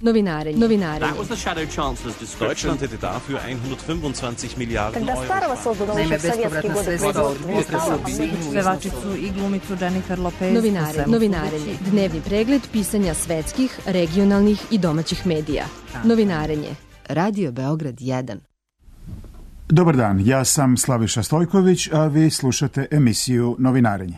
Novinarenje. That was the Shadow Chancellor's description. Deutschland hätte dafür 125 Milijarden Euro. Naime, bespovratna sredstva od pevačicu i glumicu Jennifer Lopez. Novinarenje. Dnevni pregled pisanja svetskih, regionalnih i domaćih medija. Novinarenje. Radio Beograd 1. Dobar dan, ja sam Slaviša Stojković, a vi slušate emisiju Novinarenje.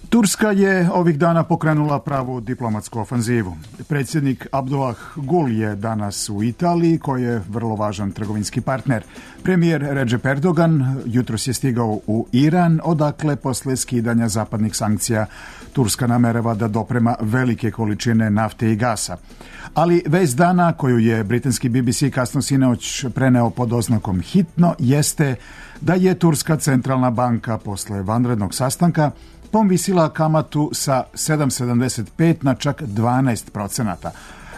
Turska je ovih dana pokrenula pravu diplomatsku ofanzivu. Predsjednik Abdullah Gul je danas u Italiji, koji je vrlo važan trgovinski partner. Premijer Recep Erdogan jutros je stigao u Iran, odakle posle skidanja zapadnih sankcija Turska namerava da doprema velike količine nafte i gasa. Ali vest dana, koju je britanski BBC kasno sinoć preneo pod oznakom hitno, jeste da je Turska centralna banka posle vanrednog sastanka povisila kamatu sa 7,75 na čak 12%.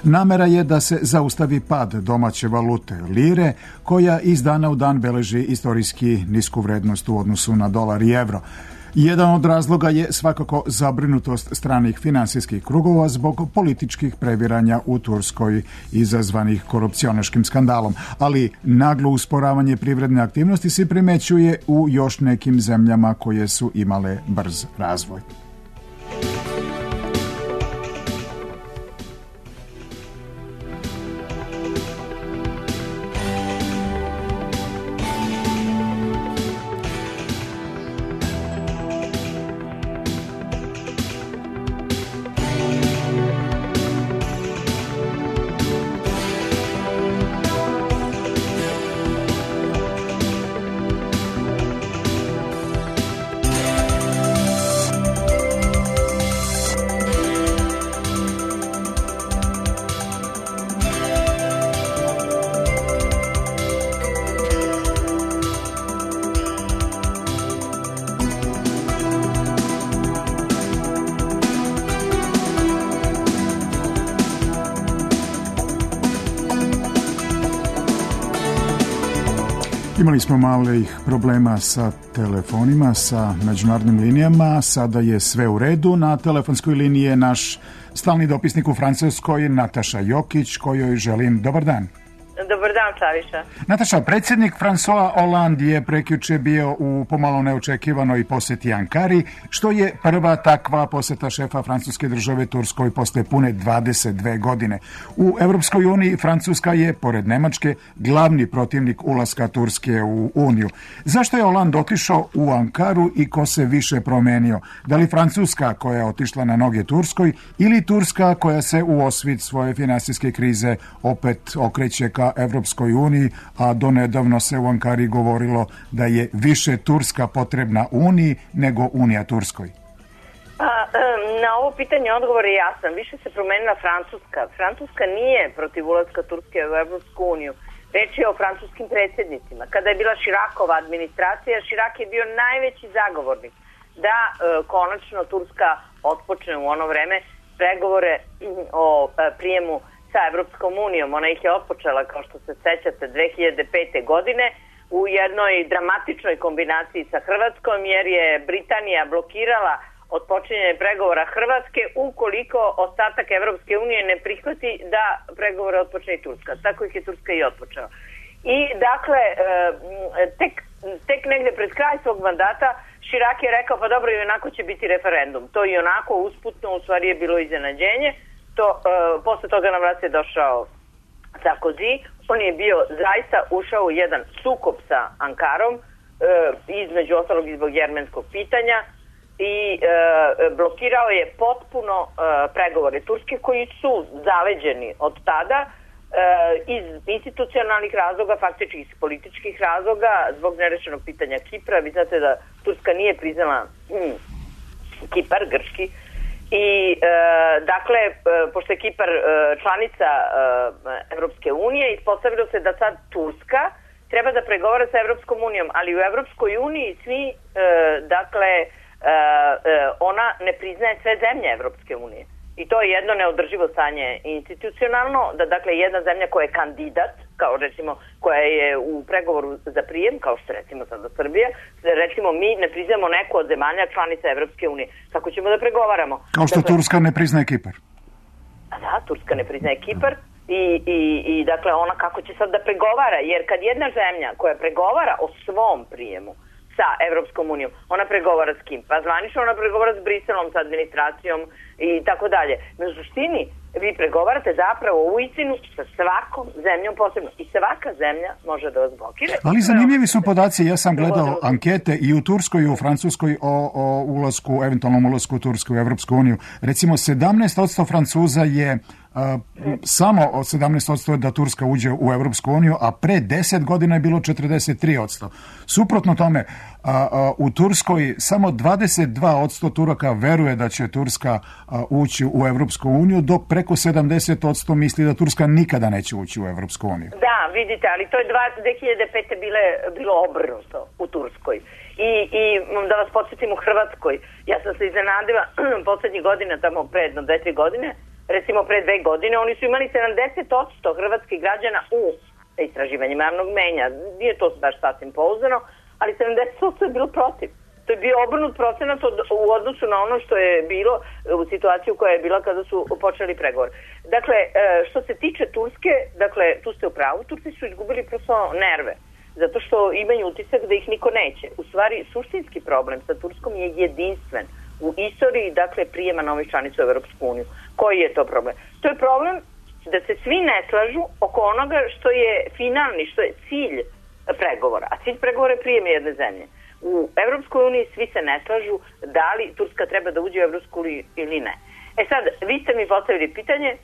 Namera je da se zaustavi pad domaće valute lire, koja iz dana u dan beleži istorijski nisku vrednost u odnosu na dolar i evro. Jedan od razloga je svakako zabrinutost stranih finansijskih krugova zbog političkih previranja u Turskoj izazvanih korupcionaškim skandalom, ali naglo usporavanje privredne aktivnosti se primećuje u još nekim zemljama koje su imale brz razvoj. Imali smo malih problema sa telefonima, sa međunarodnim linijama, sada je sve u redu. Na telefonskoj liniji je naš stalni dopisnik u Francuskoj, Nataša Jokić, kojoj želim dobar dan. Dobar dan, Slaviša. Nataša, predsjednik François Hollande je prekjuče bio u pomalo neočekivanoj posjeti Ankari, što je prva takva posjeta šefa francuske države Turskoj posle pune 22 godine. U Evropskoj uniji Francuska je, pored Nemačke, glavni protivnik ulaska Turske u Uniju. Zašto je Hollande otišao u Ankaru i ko se više promenio? Da li Francuska koja je otišla na noge Turskoj ili Turska koja se u osvit svoje finansijske krize opet okreće ka Evropskoj uniji, a donedavno se u Ankari govorilo da je više Turska potrebna Uniji nego Unija Turskoj? Na ovo pitanje odgovor je jasan. Više se promenila Francuska. Francuska nije protiv ulaska Turske u Evropsku uniju. Reč je o francuskim predsjednicima. Kada je bila Širakova administracija, Širak je bio najveći zagovornik da konačno Turska otpočne u ono vreme pregovore o prijemu sa Evropskom unijom. Ona ih je otpočela, kao što se sećate, 2005. godine u jednoj dramatičnoj kombinaciji sa Hrvatskom, jer je Britanija blokirala otpočinjanje pregovora Hrvatske ukoliko ostatak Evropske unije ne prihvati da pregovore otpočne i Turska. Tako ih je Turska i otpočela. I dakle, tek negde pred kraj svog mandata Širak je rekao, pa dobro, i onako će biti referendum. To i onako usputno u stvari je bilo iznenađenje. Posle toga na vlast je došao Sarkozy. On je bio zaista ušao u jedan sukob sa Ankarom, između ostalog i zbog jermenskog pitanja, i blokirao je potpuno pregovore Turske, koji su zaleđeni od tada iz institucionalnih razloga, faktički iz političkih razloga, zbog nerešenog pitanja Kipra. Vi znate da Turska nije priznala Kipar, grčki. I dakle, pošto je Kipar članica Evropske unije, ispostavilo se da sad Turska treba da pregovara sa Evropskom unijom, ali u Evropskoj uniji svi, dakle, ona ne priznaje sve zemlje Evropske unije. I to je jedno neodrživo stanje institucionalno, da dakle jedna zemlja koja je kandidat, kao recimo koja je u pregovoru za prijem, kao što recimo sada Srbija, recimo mi ne priznamo neku od zemalja članica Evropske unije. Kako ćemo da pregovaramo? Kao što dakle, Turska ne priznaje Kipar. Da, Turska ne priznaje Kipar i dakle ona kako će sad da pregovara, jer kad jedna zemlja koja pregovara o svom prijemu sa Evropskom unijom, ona pregovara s kim? Pa zvanično ona pregovara s Briselom, sa administracijom i tako dalje. Na suštini vi pregovarate zapravo u istinu sa svakom zemljom posebno i svaka zemlja može da vas blokira. Ali zanimljivi su podaci, ja sam gledao ankete i u Turskoj i u Francuskoj o ulasku, eventualnom ulasku Turske u Evropsku uniju. Recimo 17% Francuza je samo od 17% da Turska uđe u Evropsku uniju, a pre 10 godina je bilo 43%. Suprotno tome, u Turskoj samo 22% Turaka veruje da će Turska ući u Evropsku uniju, dok preko 70% misli da Turska nikada neće ući u Evropsku uniju. Da, vidite, ali to je 2005. bilo obrnuto u Turskoj. I da vas podsjetim u Hrvatskoj, ja sam se iznenadila poslednjih godina, tamo pre jedno 2-3 godine, recimo pre 2 godine, oni su imali 70% hrvatskih građana u istraživanjima javnog mnjenja. Nije to baš sasvim pouzdano, ali 70% je bilo protiv. To je bio obrnut procenat u odnosu na ono što je bilo u situaciju koja je bila kada su počeli pregovor. Dakle, što se tiče Turske, dakle, tu ste u pravu, Turci su izgubili prosto nerve, zato što imaju utisak da ih niko neće. U stvari, suštinski problem sa Turskom je jedinstven u istoriji, dakle, prijema novih članica u Evropsku uniju. Koji je to problem? To je problem da se svi ne slažu oko onoga što je finalni, što je cilj pregovora. A cilj pregovora je prijem jedne zemlje. U Evropskoj uniji svi se ne slažu da li Turska treba da uđe u Evropsku uniju ili ne. E sad, vi ste mi postavili pitanje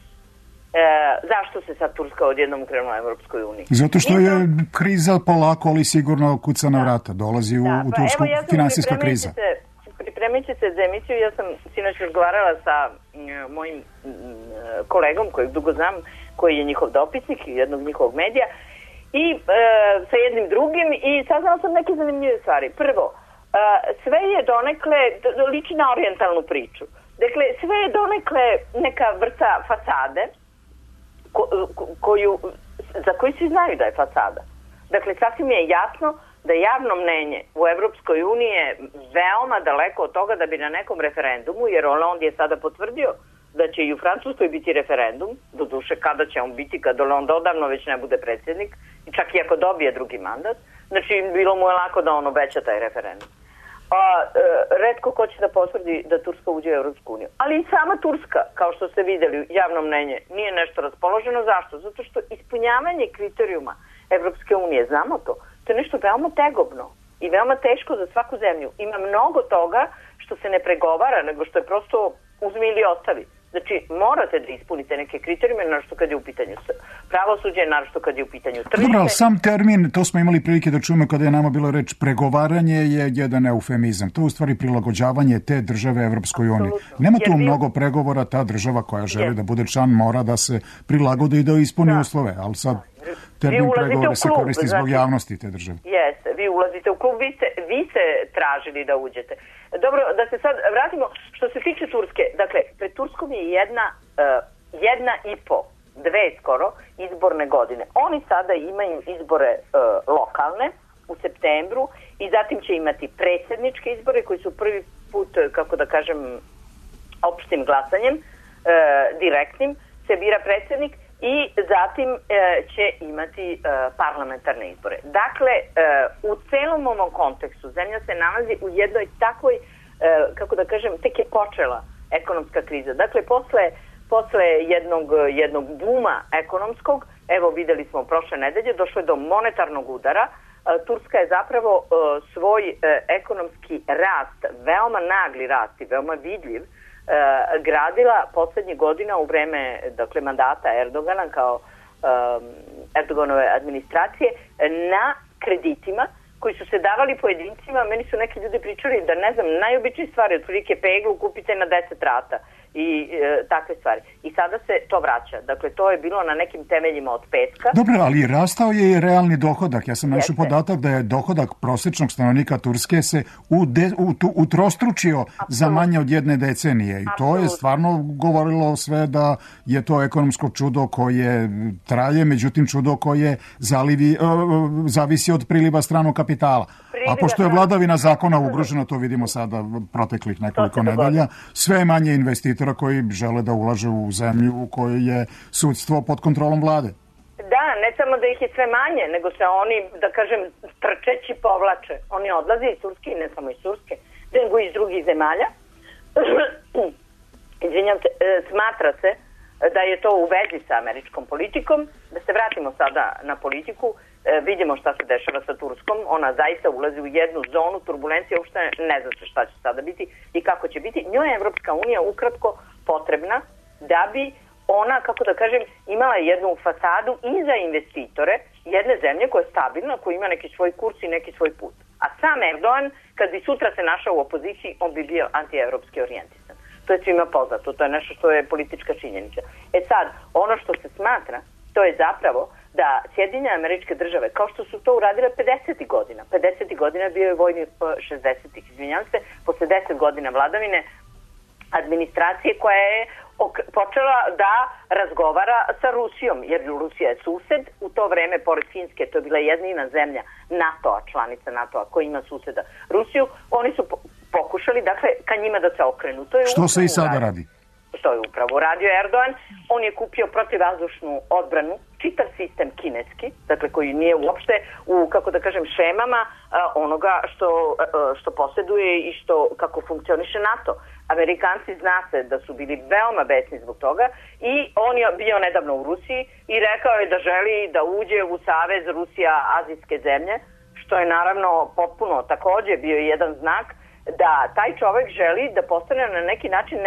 zašto se sad Turska odjednom ukrenula u Evropskoj uniji? Zato što je kriza polako, ali sigurno kuca na vrata. Dolazi u Tursku finansijska kriza. Pripremit se za emisiju, ja sam sinoć razgovarala sa mojim kolegom kojeg dugo znam, koji je njihov dopisnik jednog njihovog medija i sa jednim drugim i saznala sam neke zanimljive stvari. Prvo, sve je donekle, liči na orijentalnu priču. Dakle, sve je donekle neka vrsta fasade za koju svi znaju da je fasada. Dakle, sasvim je jasno da javno mnenje u Evropskoj uniji je veoma daleko od toga da bi na nekom referendumu, jer Hollande je sada potvrdio da će i u Francuskoj biti referendum, doduše kada će on biti, kad Hollande odavno već ne bude predsjednik, i čak i ako dobije drugi mandat, znači bilo mu je lako da on obeća taj referendum. Retko ko će da potvrdi da Turska uđe u Evropsku uniju. Ali i sama Turska, kao što ste vidjeli, javno mnenje nije nešto raspoloženo. Zašto? Zato što ispunjavanje kriterijuma Evropske unije, znamo to, to je nešto veoma tegobno i veoma teško za svaku zemlju. Ima mnogo toga što se ne pregovara, nego što je prosto uzmi ili ostavi. Znači, morate da ispunite neke kriterijume, naročito kad je u pitanju pravosuđe, naročito kad je u pitanju tržište. Dobro, ali sam termin, to smo imali prilike da čujemo kada je nama bilo reč pregovaranje, je jedan eufemizam. To je u stvari prilagođavanje te države Evropskoj uniji. Nema tu mnogo pregovora, ta država koja želi da bude član mora da se prilagodi i da ispuni uslove, ali sad termin pregovore se koristi zbog javnosti te države. Jeste, vi ulazite u klub, vi ste tražili da uđete. Dobro, da se sad vratimo, što se tiče Turske, dakle, pred Turskom je jedna i po, 2 skoro, izborne godine. Oni sada imaju izbore lokalne u septembru i zatim će imati predsjedničke izbore koji su prvi put, kako da kažem, opštim glasanjem, direktnim, se bira predsjednik i zatim će imati parlamentarne izbore. Dakle, u celom ovom kontekstu zemlja se nalazi u jednoj takvoj, kako da kažem, tek je počela ekonomska kriza. Dakle, posle jednog buma ekonomskog, evo videli smo prošle nedelje, došlo je do monetarnog udara. Turska je zapravo svoj ekonomski rast, veoma nagli rast i veoma vidljiv, gradila poslednjih godina u vreme, dakle, mandata Erdogana kao Erdoganove administracije na kreditima koji su se davali pojedincima. Meni su neki ljudi pričali da, ne znam, najobičnije stvari, otprilike peglu kupite na 10 rata i takve stvari. I sada se to vraća. Dakle, to je bilo na nekim temeljima od petka. Dobro, ali rastao je i realni dohodak. Ja sam našao podatak da je dohodak prosječnog stanovnika Turske se utrostručio za manje od jedne decenije. I to je stvarno govorilo sve da je to ekonomsko čudo koje traje, međutim čudo koje zavisi od priliva stranog kapitala. A pošto je vladavina zakona ugrožena, to vidimo sada proteklih nekoliko nedelja, sve je manje investitora koji žele da ulaže u zemlju u kojoj je sudstvo pod kontrolom vlade. Da, ne samo da ih je sve manje, nego se oni, da kažem, trčeći povlače. Oni odlaze iz Turske, ne samo iz Turske, nego iz drugih zemalja. Izvinjam se, smatra se da je to u vezi sa američkom politikom. Da se vratimo sada na politiku, vidimo šta se dešava sa Turskom. Ona zaista ulazi u jednu zonu turbulencije, uopšte ne zna se šta će sada biti i kako će biti. Njoj je Evropska unija ukratko potrebna da bi ona, kako da kažem, imala jednu fasadu i za investitore jedne zemlje koja je stabilna, koja ima neki svoj kurs i neki svoj put. A sam Erdogan, kad bi sutra se našao u opoziciji, on bi bio antievropski orijentisan. To je svima poznato, to je nešto što je politička činjenica. Sad, ono što se smatra, to je zapravo da Sjedinjene Američke Države, kao što su to uradile 50. godina, 50. godina bio je vojni 60. izvinjam se, posle 10 godina vladavine administracije koja je počela da razgovara sa Rusijom, jer Rusija je sused, u to vreme, pored Finske, to je bila jedina zemlja NATO-a, članica NATO-a, koja ima suseda Rusiju, oni su pokušali, dakle, ka njima da se okrenu. To je što se i sada radi? Što je upravo radio Erdogan. On je kupio protivvazdušnu odbranu, čitav sistem kineski, dakle koji nije uopšte u, kako da kažem, šemama onoga što posjeduje i kako funkcioniše NATO. Amerikanci zna se da su bili veoma besni zbog toga i on je bio nedavno u Rusiji i rekao je da želi da uđe u savez Rusija-azijske zemlje, što je naravno potpuno takođe bio jedan znak da taj čovek želi da postane na neki način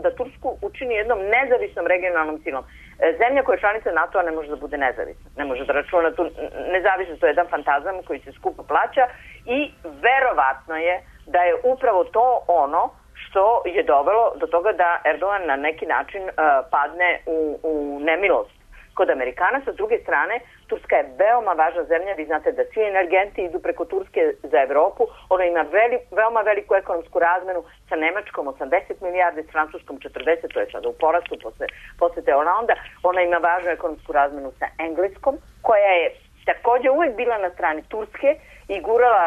da Tursku učini jednom nezavisnom regionalnom silom. Zemlja koja je članica NATO-a ne može da bude nezavisna. Ne može da računa tu nezavisnost, to je jedan fantazam koji se skupo plaća i verovatno je da je upravo to ono što je dovelo do toga da Erdogan na neki način padne u nemilost kod Amerikana. Sa druge strane, Turska je veoma važna zemlja. Vi znate da svi energenti idu preko Turske za Evropu. Ona ima veoma veliku ekonomsku razmenu sa Nemačkom 80 milijardi, s Francuskom 40, to je sada u porastu posle te Holanda. Ona ima važnu ekonomsku razmenu sa Engleskom, koja je takođe uvek bila na strani Turske i gurala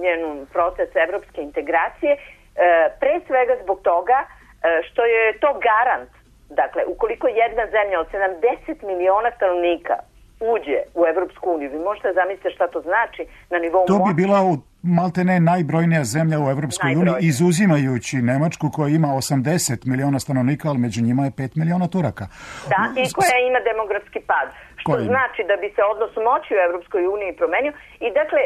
njenu proces evropske integracije, pre svega zbog toga što je to garant. Dakle, ukoliko jedna zemlja od 70 miliona stanovnika uđe u Evropsku uniju, vi možete zamisliti šta to znači na nivou... To bi bila maltene najbrojnija zemlja u Evropskoj uniji, izuzimajući Nemačku koja ima 80 miliona stanovnika, ali među njima je 5 miliona Turaka. Da, i koja ima demografski pad. Što znači da bi se odnos moći u Evropskoj uniji promenio. I dakle,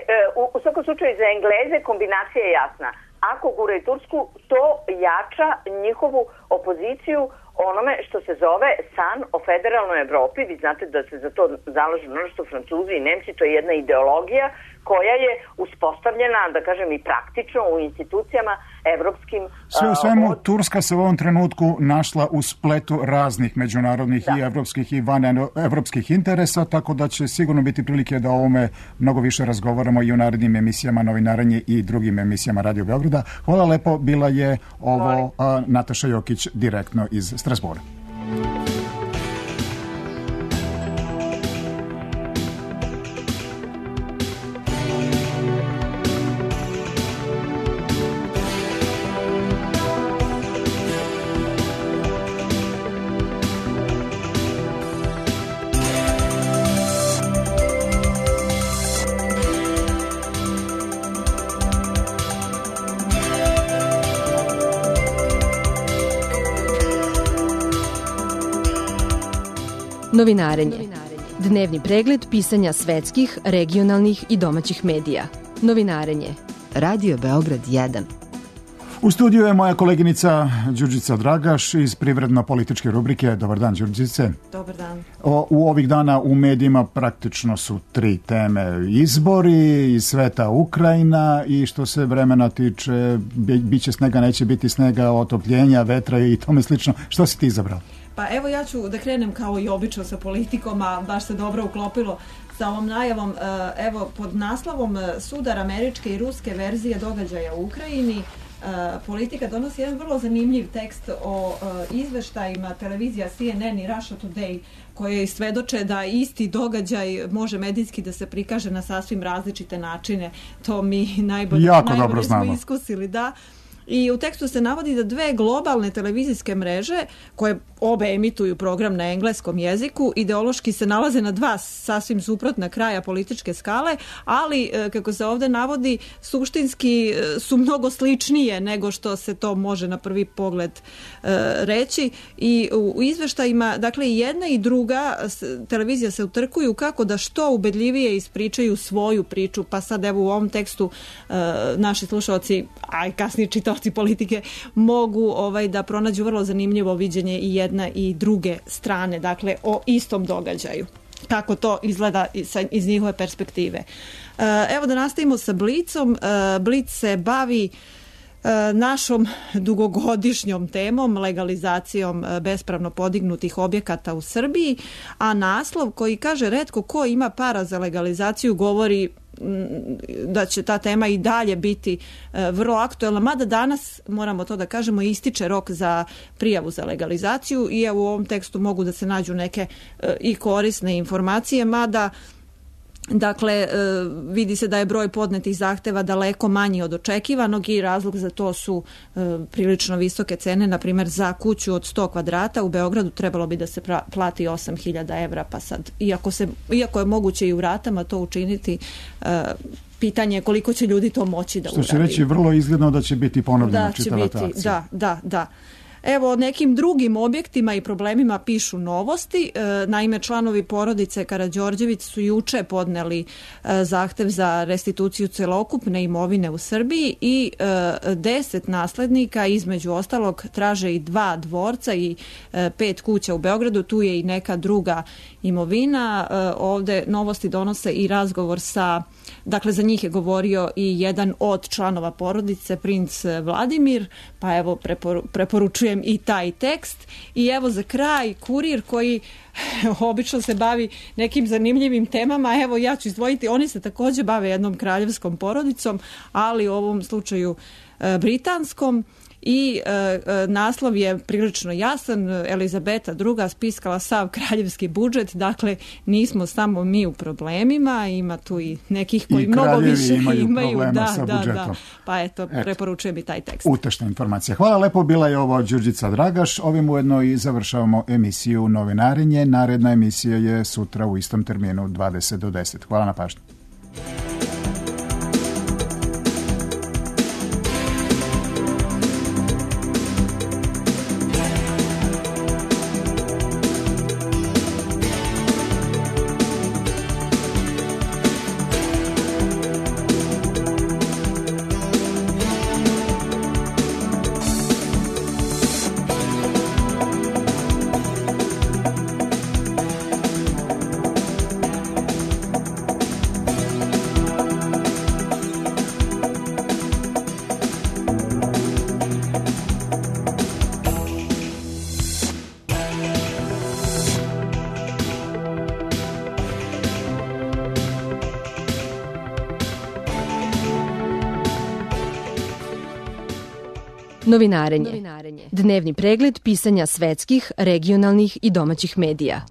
u svakom slučaju za Engleze kombinacija je jasna. Ako guraju Tursku, to jača njihovu opoziciju onome što se zove san o federalnoj Evropi. Vi znate da se za to zalažu mnoštvo Francuzi i Nemci, to je jedna ideologija koja je uspostavljena, da kažem, i praktično u institucijama evropskim. Sve u svemu, Turska se u ovom trenutku našla u spletu raznih međunarodnih i evropskih i vanevropskih interesa, tako da će sigurno biti prilike da o ovome mnogo više razgovaramo i u narednim emisijama Novinaranje i drugim emisijama Radio Beograda. Hvala lepo, bila je ovo Nataša Jokić direktno iz Strasbura. Novinarenje. Dnevni pregled pisanja svetskih, regionalnih i domaćih medija. Novinarenje. Radio Beograd 1. U studiju je moja koleginica Đurđica Dragaš iz privredno-političke rubrike. Dobar dan, Đurđice. Dobar dan. U ovih dana u medijima praktično su 3 teme. Izbori, iz sveta Ukrajina i što se vremena tiče, biće snega, neće biti snega, otopljenja, vetra i tome slično. Što si ti izabrao? Pa evo ja ću da krenem kao i obično sa politikom, a baš se dobro uklopilo sa ovom najavom. Evo, pod naslovom Sudar američke i ruske verzije događaja u Ukrajini, Politika donosi jedan vrlo zanimljiv tekst o izveštajima televizija CNN i Russia Today, koje svedoče da isti događaj može medijski da se prikaže na sasvim različite načine. To mi najbolje smo iskusili, da. I u tekstu se navodi da 2 globalne televizijske mreže, koje obe emituju program na engleskom jeziku, ideološki se nalaze na 2 sasvim suprotna kraja političke skale, ali, kako se ovdje navodi, suštinski su mnogo sličnije nego što se to može na prvi pogled reći. I u izveštajima, dakle, i jedna i druga televizija se utrkuju kako da što ubedljivije ispričaju svoju priču, pa sad evo u ovom tekstu naši slušalci, a i kasnije čitaoci politike, mogu da pronađu vrlo zanimljivo viđenje i jedne i druge strane, dakle o istom događaju. Kako to izgleda iz njihove perspektive. Evo da nastavimo sa Blitzom. Blitz se bavi našom dugogodišnjom temom, legalizacijom bespravno podignutih objekata u Srbiji, a naslov koji kaže retko ko ima para za legalizaciju govori da će ta tema i dalje biti vrlo aktuelna, mada danas, moramo to da kažemo, ističe rok za prijavu za legalizaciju i evo u ovom tekstu mogu da se nađu neke i korisne informacije, mada dakle, vidi se da je broj podnetih zahteva daleko manji od očekivanog i razlog za to su prilično visoke cene. Na primjer, za kuću od 100 kvadrata u Beogradu trebalo bi da se plati 8.000 evra, pa sad, iako je moguće i u ratama to učiniti, pitanje je koliko će ljudi to moći da uradi. Što će reći, vrlo izgledno da će biti ponovljena čitava ta akcija. Da. Evo, o nekim drugim objektima i problemima pišu Novosti. Naime, članovi porodice Karađorđević su juče podneli zahtev za restituciju celokupne imovine u Srbiji i 10 naslednika, između ostalog, traže i 2 dvorca i 5 kuća u Beogradu. Tu je i neka druga imovina. Ovde Novosti donose i razgovor sa, dakle, za njih je govorio i jedan od članova porodice, princ Vladimir, pa evo preporučujem i taj tekst. I evo za kraj Kurir, koji obično se bavi nekim zanimljivim temama. Evo ja ću izdvojiti, oni se također bave jednom kraljevskom porodicom, ali u ovom slučaju britanskom. I naslov je prilično jasan, Elizabeta II spiskala sav kraljevski budžet, dakle nismo samo mi u problemima, ima tu i nekih koji mnogo više imaju problema sa budžetom. Pa eto, preporučujem i taj tekst. Utešna informacija. Hvala lepo, bila je ovo Đurđica Dragaš. Ovim ujedno i završavamo emisiju Novinarenje. Naredna emisija je sutra u istom terminu 20 do 10. Hvala na pažnji. Novinarenje. Dnevni pregled pisanja svetskih, regionalnih i domaćih medija.